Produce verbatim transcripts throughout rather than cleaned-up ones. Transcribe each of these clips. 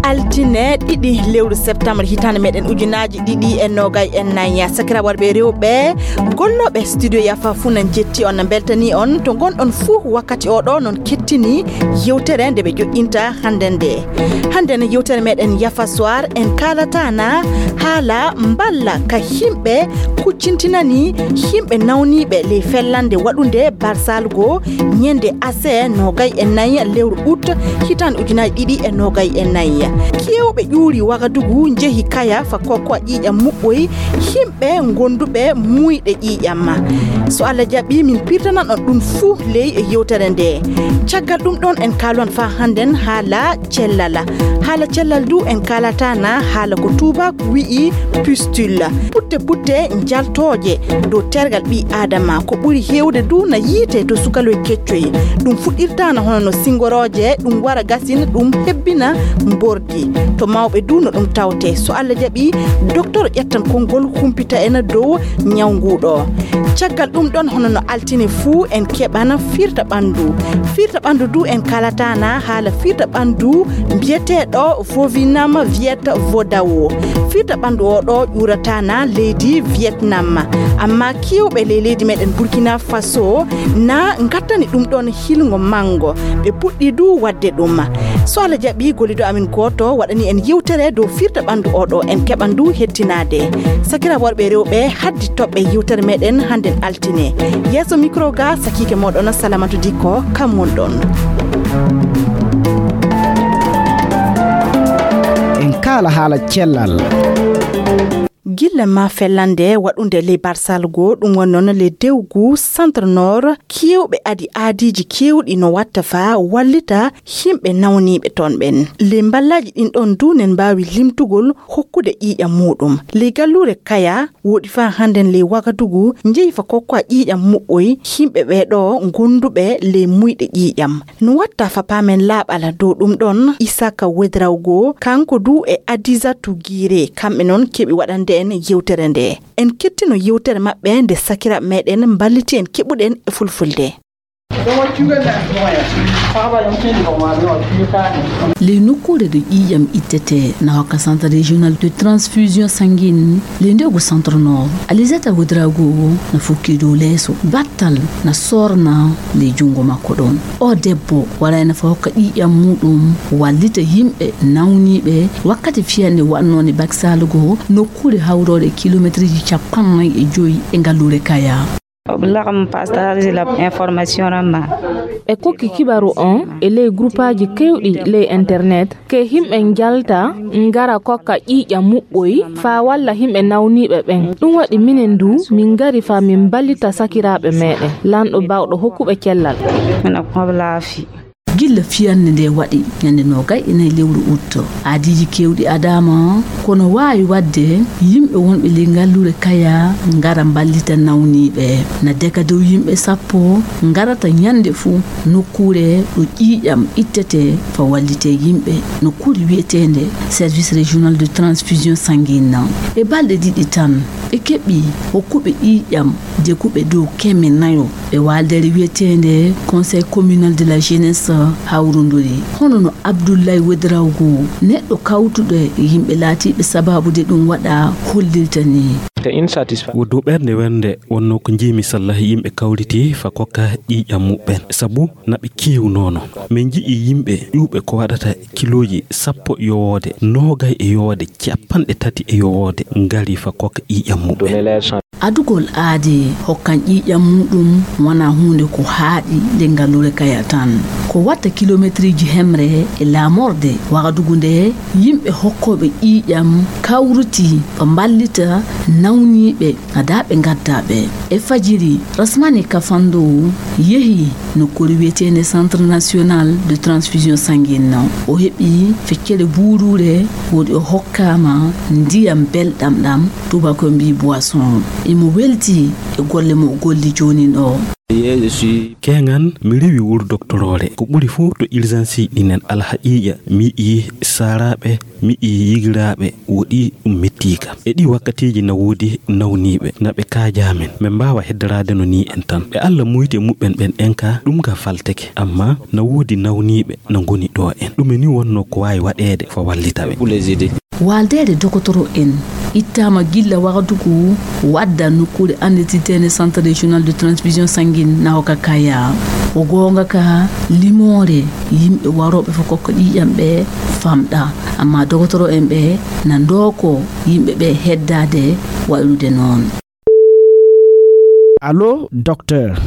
Altine ɗiɗi lewru septembre hitaande meɗen ujunaaji ɗiɗi e noogay e nayi. Sakiraaɓe worɓe e rewɓe, gollooɓe studio Yafa fuu na njetti on, na mbeltanii on to ngonɗon fuu. Wakkati o ɗo noon kettini yewtere nde ɓe joɗɗinta hannde nde. Hannde no yewtere meɗen Yafa Soir en kaalata na haala mballa ka yimɓe kuccintinani yimɓe nawniiɓe ley fellande waɗunde barsalgo ñande ase noogay e nayi lewru ut hitaande ujunaaji ɗiɗi e noogay e nayi. Keewɓe ƴuuri Wagadugu njehi Kaya fa kokko ƴiiƴam muɓɓoy yimɓe ɓe ngonduɓe muuyɗe ƴiiƴam. So Allah jaɓi, min pirtanan on ɗum fuu ley yewtere nde. Caggal ɗum ɗon en kaalwan faa hannden haala cellal. Haala cellal du en kaalata na haala ko tuubaak wi'i pustule. Putte putte njaltooje dow tergal ɓii Aadama. Ko ɓuri heewde du na yiite to sukaloy keccoy. Ɗum fuɗɗirta na hono no singorooje, ɗum wara gasin, ɗum hebbina mbordi. To mawɓe du no ɗum tawte. So Allah jaɓi, doktor ƴettan konngol humpita en dow ñaw ngu ɗo. Caggal ɗum ɗon, hono no altine fuu, en keɓana firta ɓanndu. Firta ɓanndu du en kaalata na haala firta ɓanndu mbiyeteeɗo Vovinam Viet Vodawo. Firta ɓanndu o ɗo ƴuurata na leydi Vietnam. Amma kiiwɓe ley leydi meɗen Burkina Faso na ngattani ɗum ɗon hilngo manngo. Ɓe puɗɗi du waɗde ɗum. So Allah jaɓi, gollido amin gooto waɗani en yewtere dow firta ɓanndu o ɗo, en keɓan du hettinaade. Sakiraaɓe worɓe e rewɓe, haddi toɓɓe yewtere meɗen hannden altine. Yeeso micro ga sakiike moɗon Salamatu Dikko, kam won ɗon. En kaala haala cellal. Gilla ma fellande waɗunde ley Barsalgo, ɗum woni noon ley dewgu Centre Nord, keewɓe adi aadiiji keewɗi no watta faa wallita yimɓe nawniiɓe toon ɓen. Ley mballaaji ɗin ɗoon du nen mbaawi limtugol hokkude ƴiiƴam muuɗum. Ley galluure Kaya, woɗi faa hannden ley Wagadugu, njehi fa kokkoa ƴiiƴam muɓɓoy yimɓe ɓee ɗoo gonduɓe ley muyɗe ƴiiƴam. No watta fa paamen laaɓal dow ɗum ɗoon, Isaka Wedrawgo, kanko du e Adizatu Giire, kamɓe noon keɓi waɗande en yewtere nde. En kettino yewtere maɓɓe nde sakiraaɓe meɗen mballiti en keɓuɗen e fulfulde. Ley nokkuure ɗo ƴiiƴam ittetee na hokka Centre Régional de Transfusion Sanguine, ley ndewgu Centre Nord, Alizata Ouedraogo na fukki dow leeso. Battal na soorna ley junngo makko ɗoon. O debbo warayno faa hokka ƴiiƴam muuɗum, wallita yimɓe nawniiɓe wakkati fiyannde waɗnoonde Baksalugo nokkuure hawroore kilomeetirji cappannayi e joy e ngalluure Kaya. Oblaɣam pastarji lab information ramma. E kokki kibaru on e ley grupaaji keewɗi ley internet, ke yimɓe njalta ngara kokka ƴiiƴam muɓɓoy faa walla yimɓe nawniiɓe ɓen. Ɗum waɗi minen du min ngari faa min mballita sakiraaɓe meɗen, Lanɗo baawɗo hokkuɓe cellal. Mina ko laafi. Gilla fiyannde nde waɗi ñande noogay e nayi lewru ut, aadiiji keewɗi adaama, kono waawi waɗde yimɓe wonɓe ley ngalluure Kaya ngara mballita nawniiɓe. Na deka dow yimɓe sappo ngarata ñande fuu nokkuure ɗo ƴiiƴam ittetee faa wallitee yimɓe, nokkuure wiyeteende Service Régional de Transfusion Sanguine. E balɗe ɗiɗi tan, ɓe keɓi hokkuɓe ƴiiƴam deguɓe dow keme nayo e waaldeere wiyeteende Conseil Communal de la Jeunesse hawrunduri, hono no Abdoulaye Ouedraogo, neɗɗo kawtuɗo e yimɓe laatiiɓe sabaabude ɗum waɗa, hollirta ni. Wo dow ɓernde wernde wonnoo ko njiimi sallahi yimɓe kawriti faa kokka ƴiiƴam muɓɓen, sabu na ɓe keewnoono. Min nji'i yimɓe ƴuuɓe ko waɗata kilooji sappo yowoode, noogay e yowoode, capanɗe tati e yowoode ngari faa kokka ƴiiƴam muɓɓen. Adugol aadi hokkan ƴiiƴam muuɗum wonaa huunde ko haaɗi ley ngalluure Kaya tan. Ko watta kilomeetirji hemre e laamorde Wagadugu nde, yimɓe hokkooɓe ƴiiƴam kawriti faa mballita nawniiɓe adaa ɓe ngaddaa ɓe. E fajiri, Rasmani Kafando yehi nokkuure wiyeteende Centre National de Transfusion Sanguine. O heɓi feccere buuruure, woodi o hokkaama ndiyam belɗam ɗam, tuubakooɓe mbii boisson. Imo welti e golle mo o golli joonin o. Keŋan mi rewi wuro doktoroore ko ɓuri fof to urgence ɗinen. Alhaqiiqa mi yi'i saaraaɓe, mi yi'i yigiraaɓe woɗi ɗum mettiika. E ɗi wakkatiiji na woodi nawniiɓe na ɓe kaajaa men. Men mbaawa heddaraade no nii en tan. Ɓe Alla muyti e muɓɓen ɓen en ka ɗum ka falteke. Amma na woodi nawniiɓe na ngoni ɗo en. Ɗume ni wonno ko waawi waɗeede fo wallita ɓe? Waaldeede dokotoro en ittaama gilla waqtu ko wadda nokkuure annditirteende Centre Régional de Transfusion Sanguine Nahoka Kaya. Ko goonga ka limoore yimɓe warooɓe fo kokka ƴiiƴam ɓe famɗa. Amma dokotoro en ɓe na ndooko yimɓe ɓe heddaade waylude noon. Allo, docteur.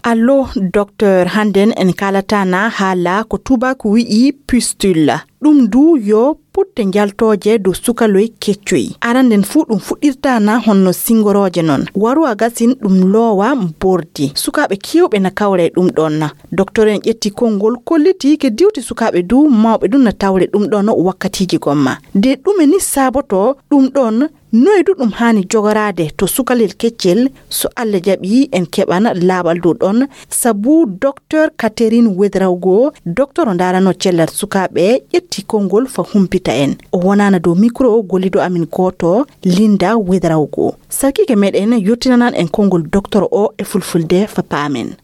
Allo, docteur. Hannden en kaalata na haala ko tubaako wi'i pustule. Ɗum du yo putte njaltooje dow sukaloy keccoy. Aranden fuu ɗum fuɗɗirta na honno singorooje non. Waru a gasin ɗum loowa mbordi. Sukaaɓe keewɓe na kawra e ɗum ɗon na. Doktor en ƴetti konngol kolliti ke diwti sukaaɓe du mawɓe du na tawre ɗum ɗon wakkatiiji gomma. De ɗume ni saaboto ɗum ɗon? Noy du ɗum haani jogoraade to sukalel keccel? So Alla jaɓi en keɓan laaɓal dow ɗon, sabu Doktor Catherine Ouedraogo, doktor o ndaarano cellal sukaaɓe, ƴetti konngol fa humpita en. O wonaana dow mikro gollido amin gooto, Linda Ouedraogo. Sarkiike meɗen yottinanan en konngol doktor o e fulfulde fa paamen.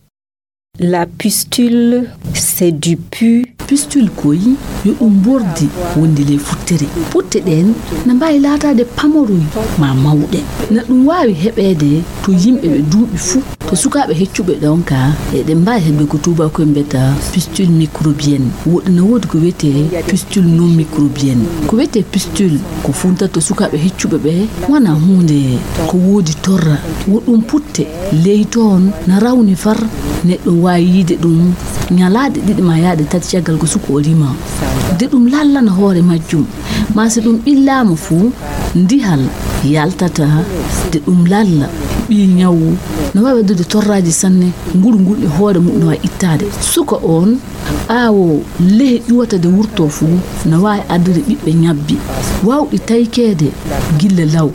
La pustule, c'est du pus. Pustule koy yo ɗum mbordi wondi ley futtere. Putte ɗen na mbaawi laataade pamoroy ma mawɗe. Na ɗum waawi heɓeede to yimɓe ɓe duuɓi fuu. To sukaaɓe heccuɓe ɗon ka, eɗen mbaawi heɓde ko tuubaakoy mbiyata pustule microbienne. Woɗɗi na woodi ko wiyetee pustule non microbienne. Ko wiyetee pustule ko funtata to sukaaɓe heccuɓe ɓe wona huunde ko woodi torra. Wo ɗum putte ley toon na rawni far, neɗɗo waawi yiide ɗum ñalaaɗe ɗiɗi ma yahde tati caggal ko suka o rima. De ɗum lallana hoore majjum, ma si ɗum ɓillaama fuu, ndihal yaltata, de ɗum lalla. Ɓii ñawu no waawi addude torraaji sanne, nguru ngul e hoore mum no waawi ittaade. Suka oon, ɓaawo lehe ƴuwata de wurtoo fuu, no waawi addude ɓiɓɓe ñabbi, waawɗi taykeede gilla law.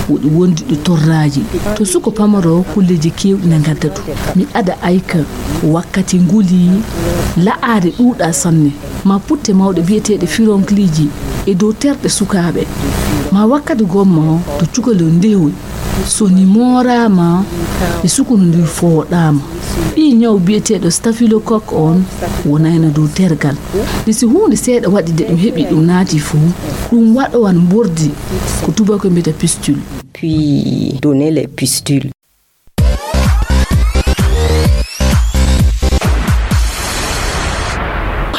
Woɗi wondude torraaji. To suko pamaro kulleeji keewɗi na ngadda ɗum. Mi ada ayka wakkati nguli la'aade ɗuuɗa sanne. Ma putte mawɗe biyeteeɗe fironkliiji e dow terɗe sukaaɓe. Ma wakkati gomma to cukalel ndewoy. So ni mooraama e sukunu ndu fooɗaama. Ɓii ñaw biyeteeɗo staphylocoque on wonayno dow tergal. Nde si huunde seeɗa waɗi de ɗum heɓi ɗum naati fuu, ɗum waɗowan mbordi ko tubaako mbiyata pustule. Puis donner les pustules.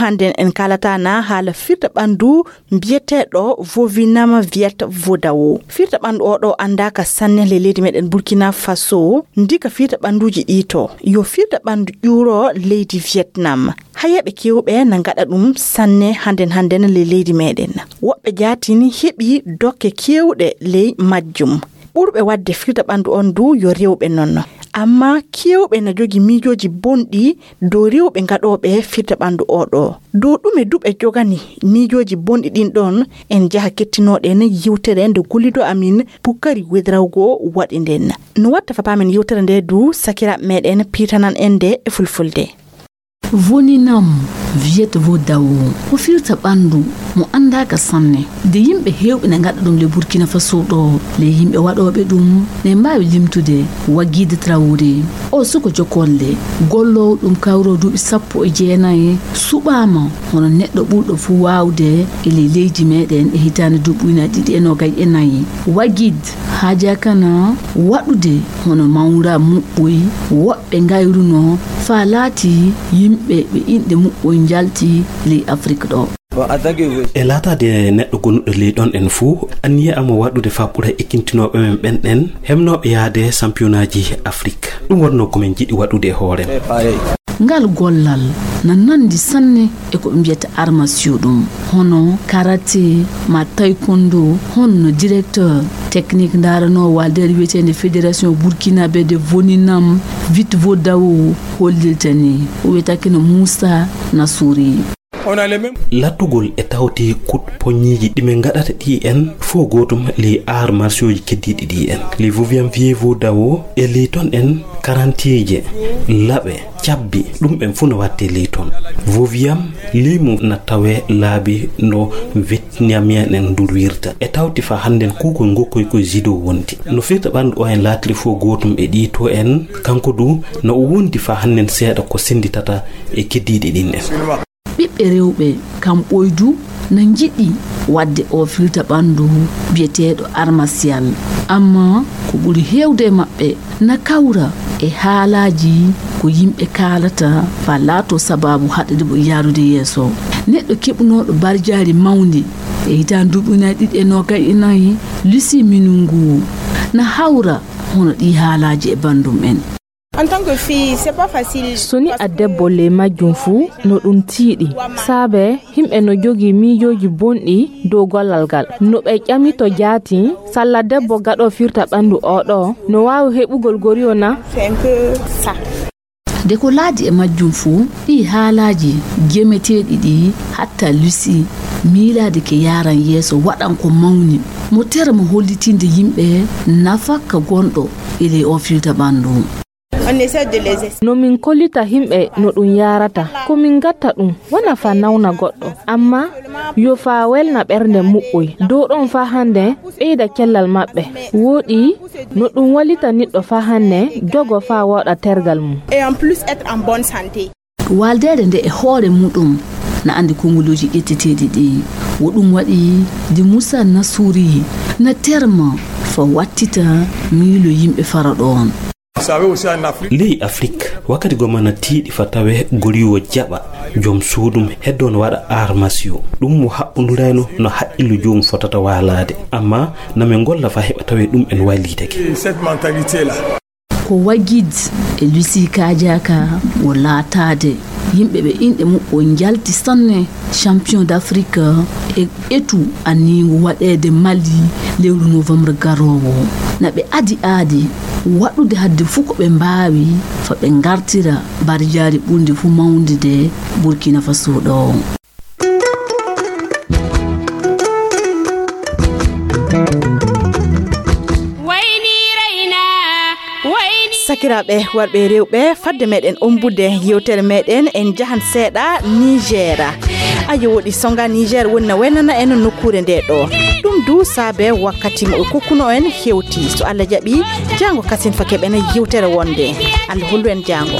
Hannden en kaalata na haala firta ɓanndu mbiyeteeɗo Vovinam Viet Vodao. Firta ɓanndu oo ɗoo anndaaka sanne ley leydi meɗen Burkina Faso, ndika firta ɓannduuji ɗii to. Yo firta ɓanndu ƴuuro leydi Vietnam. Hayeeɓe keewɓe na ngaɗa ɗum sanne hannden hannden ley leydi meɗen. Woɓɓe jaatini heɓi dokke keewɗe ley majjum. Ɓurɓe waɗde firta ɓanndu on du yo rewɓe non. Amma keewɓe na jogi miijooji bonɗi dow rewɓe gaɗooɓe firta ɓanndu oo ɗoo. Dow ɗume du ɓe jogani miijooji bonɗi ɗin ɗon? En jaha kettinooɗen yiwtere nde gollido amin Bukari Wedrawgo waɗi nden. No watta fa paamen yiwtere nde du sakiraaɓe meɗen piitanan en nde e fulfulde. Voninam Viet Vo Dao ko firta ɓanndu mo anndaaka sanne. De yimɓe heewɓe na ngaɗa ɗum le Burkina Faso ɗo. Le yimɓe waɗooɓe ɗum ne mbaawi limtude Wagid Traoré. O suko jokolle, golloowo ɗum kawro duuɓi sappo e jeenayi, suɓaama hono neɗɗo ɓurɗo fuu waawde e ley leydi meɗen e hitaande duuɓi ujunaaji ɗiɗi e noogay e nayi. Wagid haajaaka na waɗude hono mawra muɓɓoy woɓɓe ngayruno faa laati yimɓe ɓe inɗe muɓɓoy njalti ley Afrik ɗo. E laataade neɗɗo gonuɗo ley ɗon en fuu, anniya am waɗude faa ɓura ekkintinooɓe men ɓen ɗen hemnooɓe yaade sampiyonaaji Afrik. Ɗum wonnoo ko min njiɗi waɗude e hoore. Ngal gollal na nanndi sanne e ko ɓe mbiyata arts martiaux ɗum, hono karate ma taekwondo, hono directeur technique ndaranoowo waaldeere wiyeteende Fédération Burkinabé de Voninam Viet Vo Dao hollirta ni, o wiyetee ko Moussa Nassouri. On a les mêmes. Lattugol e tawti kut poñiiji ɗi min ngaɗata ɗi en fof gootum ley arts martiaux ji keddiiɗi ɗi en. Ley Vivian Vievo Dawo e ley ton en karantiije, laɓe, cabbi, ɗum ɓen fof no watte ley ton. Vivian ley mum na tawe laabi no Vietnamien en ndurwirta. E tawti fa hannden kuugol ngokkoy koye judo wondi. No firta ɓanndu o en laatiri fof gootum e ɗi to en, kanko du na o wondi fa hannden seeɗa ko sennditata e keddiiɗi ɗin en. Ɓiɓɓe rewɓe kam ɓoydu na njiɗi waɗde o firta ɓanndu biyeteeɗo armasial. Amma ko ɓuri heewde e maɓɓe na kawra e haalaaji ko yimɓe kaalata fa laato sabaabu haɗde mo yaarude yeeso. Neɗɗo keɓunooɗo barjaari mawndi e hitaande duuɓi ujunaaji ɗiɗi e noogay e nayi, Lucie Minungu, na hawra hono ɗi haalaaji e banndum en. En tant que fille, c'est pas facile. So ni a debbo ley majjum fuu no ɗum tiiɗi, saabe yimɓe no jogii miijooji bonɗi dow gollal ngal. No ɓe ƴami to jaati, salla debbo gaɗo firta ɓanndu o ɗo, no waawi heɓugol goriyo na? C'est un peu ça. De ko laadi e majjum fuu, ɗi haalaaji gemeteeɗi ɗi hatta Lucie miilaade ke yaaran yeeso waɗan ko mawni. Mo tere mo hollitinde yimɓe nafa ka gonɗo e ley o firta ɓanndu. On essaie de les es- No min kollita yimɓe no ɗum yaarata. Ko min gatta ɗum wona fa nawna goɗɗo, amma yo fa welna ɓernde muɓɓoy. Dow ɗon fa hannde ɓeyda cellal maɓɓe. Wooɗi no ɗum wallita niɗɗo fa hannde jogo fa wooɗa tergal mum. Et en plus être en bonne santé. Waaldeede nde e hoore muɗum na anndi kongoluuji ƴetteteeɗi ɗi. Wo ɗum waɗi de Moussa Nassouri na terma fa wattita miilo yimɓe fara ɗoon. Vous savez aussi en Afrique. Ley Afrik, wakkati goma na tiiɗi fa tawe goriiwo jaɓa joom suudum heddo no waɗa arts martiaux. Ɗum mo haɓɓundurayno no haqqillu joom fotata waalaade. Amma na min golla fa heɓa tawe ɗum en wallitake. Cette mentalité-là. Ko Wagid e Lucie Kajaka wo laataade yimɓe ɓe inɗe muɓɓo njalti sanne champion d'Afrique e etu anniingu waɗeede Mali lewru novembre garoowo. Na ɓe adi aadi waɗude hadde fuu ko ɓe mbaawi fa ɓe ngartira barjaari ɓurndi fuu mawnude Burkina Faso ɗo. Sakiraaɓe warɓe e rewɓe, fadde meɗen ombude yewtere meɗen, en njahan seeɗa Niger. Ayo woɗi songa Niger woni na welnana en nokkuure nde ɗo. Ɗum du saabe wakkati mo ɓe kokkuno en hewti. So Allah jaɓi, jaango kasin fa keɓen yewtere wonde. Allah hollu en jaango.